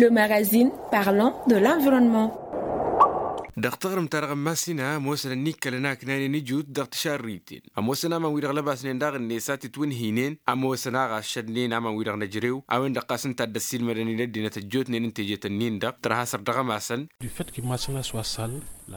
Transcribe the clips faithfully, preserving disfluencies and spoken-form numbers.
Le magazine parlant de l'environnement. Dăɣ-taɣrǝmt-ta-dăɣ n-massina ămoosăn ănnikkălăn aknanen ijut dăɣ-tišarriten. Ămoosăn aman-wi-dăɣ lăbasnen daɣ-net a t-itwǝnhǝynen ămoosăn a ɣas šădnen aman-wi-dăɣ n-ejrew a-wen-dăɣ ɣas ǝnta a dd-ăssiilmădăn i-dd-ăddinăt ăjjootnen n-teje-tăn-in-dăɣ tărha săr dăɣ-ămasăn. Du fait que massina s-wa sal.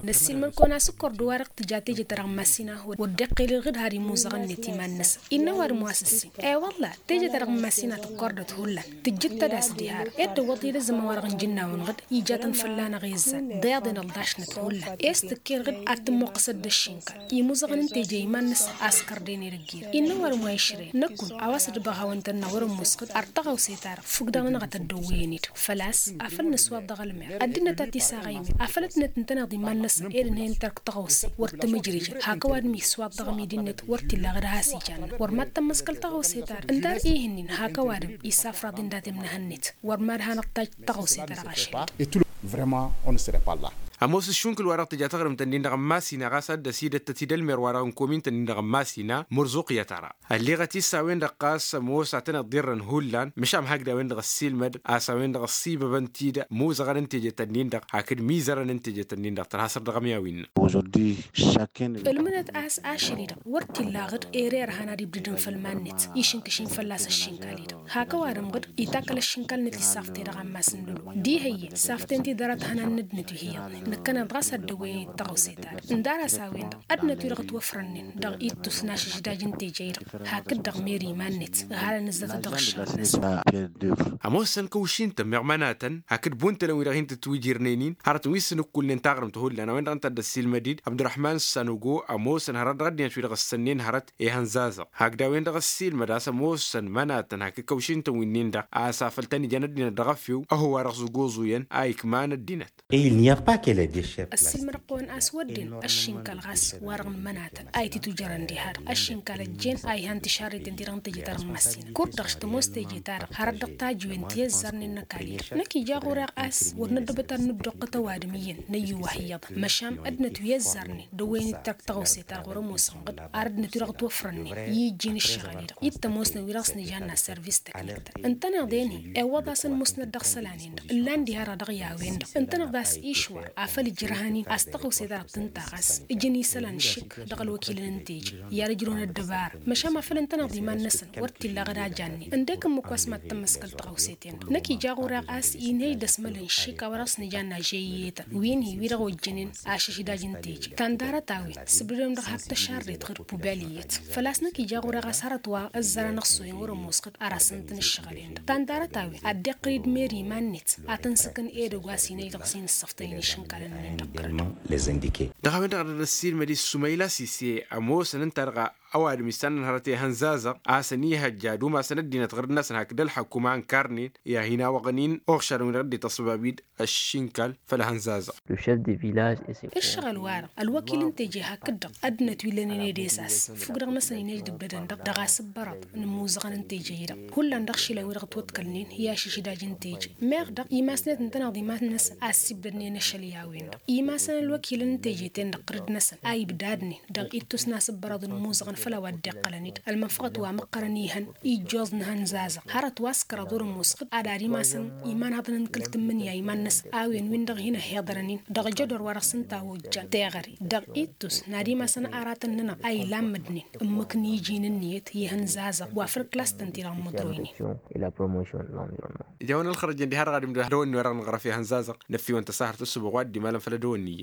Năssiilmăd-kăwăn asǝkkor d-wa-dăɣ tǝja teje-ta-dăɣ n-massina wăr dd-iqqil irɣǝd har imuzăɣ-net iman-năsăn. Innă ăwadǝm wa s-ǝssin. E-wălla teje-ta-dăɣ n-massina tǝkkordăt hullan tǝjjǝd-tăd a-s diha-dăɣ ed dăwwăḍ-i d-azǝmma wa-dăɣ n-ijǝnnawăn ɣǝd ijatăn fălla-năɣ izzan d-iḍen ălḍašnăt hullan. E-s tǝkker ɣǝd ad-tǝmmuqqǝsăd d-ăššinkal imuzăɣăn n-teje iman-năsăn a-s kărdăyăn i-dăgg-irăn. Innă ăwadǝm wa išrăyăn năkkun a-wa s-dd-iba hawăn-tăn-năɣ wăr-ămoos ɣǝd ar tăɣawse-ta-dăɣ fukk-dăɣ-nănăɣ a tăddăwwăyăn-dd. Făl-a-s afăl nǝswaḍ dăɣ-ălmer ăddinăt a t-isaɣăymen afăl ăddinăt ǝntăneḍ iman-năsăn ed ǝnhăyăn-t ărk tăɣawse wăr tămǝjrǝjăn hak ăwadǝm iswaḍ dăɣ-ămidi-net wăr t-illa ɣǝd a has-ijanna wăr mad-tămmăskăl tăɣawse-ta-dăɣ ǝndar ihǝnnin hak ăwadǝm isafraḍ-in dat-emnăhăn-net. Wăr mad-hanăɣ-tajj tăɣawse-ta-dăɣ ašăl-i-dăɣ. Vrămma on s-repalla. Ămoos ǝššunkǝl-wa-dăɣ tǝja taɣrǝmt-ǝnnin-dăɣ n-masina ɣas ad-dd-ăsidăttăt-dd ălmer-wa-dăɣ n-komintăn-in-dăɣ n-masina mărzuqyăt ara ălleɣăt-i s-a-wen-dăɣ ɣas ămoos ad-tăn-iḍirrăn hullan măšan hakd a-wen-dăɣ ăssiilmăd a-s a-wen-dăɣ ăssibăbăn-t-dd muzăɣăn n-tejet-ǝnnin-dăɣ hakd mizărăn n-tejet-ǝnnin-dăɣ tărha săr dăɣ-ămyawen. Ǝlmǝnăt a-s ašăl-i-dăɣ wăr t-illa ɣǝd ere ărhan ad-ibdǝdăn făll-iman-net išǝnkǝšin fălla-s ăššinkal-i-dăɣ hak ăwadǝm ɣǝd itakkăl ăššinkal-net issaɣte dăɣ-ammas n-lolo. Diha iyyăn saften-t-dd ara tăhănan n-ăddinăt wi hi-iyyăḍnen nǝkkăneḍ ɣas ad-dăwwăyăn-dd tăɣawse-ta-dăɣ ǝndar a-s a-wen-dăɣ ăddinăt-wi-dăɣ ătwăfrănnen dăɣ-ittus n-ašǝždaj n-teje-i-dăɣ hakd-dăɣ mer iman-net. Ǝhalăn ǝzzătăt dăɣ-ǝššăɣǝl-năsăn. Ămoosăn kăwšin-tăn meɣ mănatăn hakd buntălăn-wi-dăɣ hin-tǝtwǝjirnen-in hărătăn wi s-nǝkkulnen taɣrǝmt hullan a-wen-dăɣ ǝnta a dd-ăssiilmăd-dd abdurăhman sanugo ămoosăn hărăt dăɣ-ăddinăt-wi-dăɣ ǝssănnen hărăt ihăn zazăɣ hakd a-wen-dăɣ ăssiilmăd a-s ămoosăn mănatăn hakd kăwšin-tăn wi-nin-dăɣ a-s afăl tăn-ijan ăddinăt dăɣ-efew ăhhăw wa dăɣ-s ăgoẓuyăn a ikman ăddinăt. Ăssiilmădăɣ-kăwăn a-s wădden ăššinkal ɣas wa-dăɣ n-mănatăn a ititujărăn diha-dăɣ ăššinkal ăjjeen a ihan tišarriten-ti-dăɣ n-teje-ta-dăɣ n-măssinăt kud-dăɣ s-tămoos teje-ta-dăɣ hărăt dăɣ-tajǝwen ti ăzzarnen n-ăkall-i-dăɣ năkk ija ɣur-e ɣas wăr năddăbăt ad-nǝddoqqăt ăwadǝm iyyăn n-ăyyuwah iyyăḍ măšan ăddinăt wi ăzzarnen dăwwăyăn-dd tărk tăɣawse-ta-dăɣ wăr-ămoosăn ɣǝd ar ăddinăt wi-dăɣ ătwăfrănnen i-ijjin ǝššăɣǝl-i-dăɣ i-t-ămoosnăn wi-dăɣ s-nǝjanna sărvis teknik-tăn ǝntăneḍ-en-hi iwwăḍ-asăn musnăt dăɣ-isălan-en-dăɣ ǝllan diha-dăɣ dăɣ-i a-wen-dăɣ ǝntăneḍ a-s išwar afăl ǝjrăhăn-in a-s tăɣawse-ta-dăɣ tǝnta ɣas ǝjǝn isălan šik dăɣ-ălwăkilăn n-teje i-ad-ǝjrǝwăn ăddăbara. Măšan afăl ǝntăneḍ iman-năsăn wăr t-illa ɣǝd a jannen ǝndek ǝmmǝk wa s-mad-tămmăskăl tăɣawse-ten-dăɣ năkk ija ɣur-e ɣas inhăy d-ăsmăl n-išik a-wa dăɣ-s nǝjanna žeyyetăn wi n-hi wi-dăɣ ojjănen ašăždaj n-teje tandarăt a-wen sǝbdădăm dăɣ-hak tăšarret ɣǝr pubel iyyăt. Făl-a-s năkk ija ɣur-e ɣas hărăt wa ăzzărăn ăṣṣoyăn wăr-ămoos ɣǝd ar asǝntăn ǝššăɣǝl-en-dăɣ tandarăt a-wen ad-dd-iqqǝl-dd mer iman-net ad-tăn-sǝkǝn edăgg wa s-inăy dăɣ-s inǝssăftăyăn išǝnkal-ǝnnin-dăɣ kăl-dd. Dăɣ-a-wen-dăɣ a dd-ăssiilmăd-i s-sumayla sise ămoosăn ǝnta-dăɣ a ăwadǝm isannăn hărăt ehăn zazăɣ a-s ănihăjja ad-umasăn ăddinăt ɣǝrǝd-năsăn hakd ălḥăkkum a ǝnkarnen i-ad-hin-awăɣăn-in uɣšadăn-wi-dăɣ dd-ităṣṣăbab-dd ăššinkal făll-ehăn zazăɣ. Ăššăɣǝl wa-dăɣ ălwăkil n-teje hakd-dăɣ ăddinăt wi ǝllănen edesas fukk-dăɣ-năsăn inăjdǝbdădăn-dăɣ dăɣ-asǝbbărăḍ n-imuzăɣăn n-teje-i-dăɣ hullan dăɣ-išilan wi-dăɣ ătwăḍkălnen i-ašǝždaj n-teje. Meɣ-dăɣ imasnet ǝntăneḍ iman-năsăn a ăssiibdădnen ašăl i-a-wen-dăɣ imasăn ălwăkilăn n-teje-ten-dăɣ ɣǝrǝd-năsăn a ibdadnen dăɣ-ittus n-asǝbbărăḍ n-imuzăɣăn făll-a-wa dd-iqqălăn-dd ălmănfăɣăt wa măqqărăn ihăn ijjoẓ n-ehăn zazăɣ hărăt wa s-kăraḍ wăr-ămoos ɣǝd ad-ad-imasăn imanhaḍăn n-kăl-tǝmmǝnǝya iman-năsăn a-wen-win-dăɣ hin-ăhhiḍărăn-in dăɣ-ajădor wa dăɣ-s ǝnta a ojjan teɣăre dăɣ-ittus n-ad-imasăn aratăn-nănăɣ a ilammădnen ǝmmǝk n-iji n-ǝnniyăt i-ehăn zazăɣ wa făll-klas-tăn-ti-dăɣ n-imǝḍroynen. Ija-wen ălxărăjăn diha-dăɣ ad-imdăw ad-dăwănni wa dăɣ-nǝɣrăf i-ehăn zazăɣ năffiwăn tăsahărt ăssubăɣ wa dd-imalăn făll-ad-dăwănni iyyăn.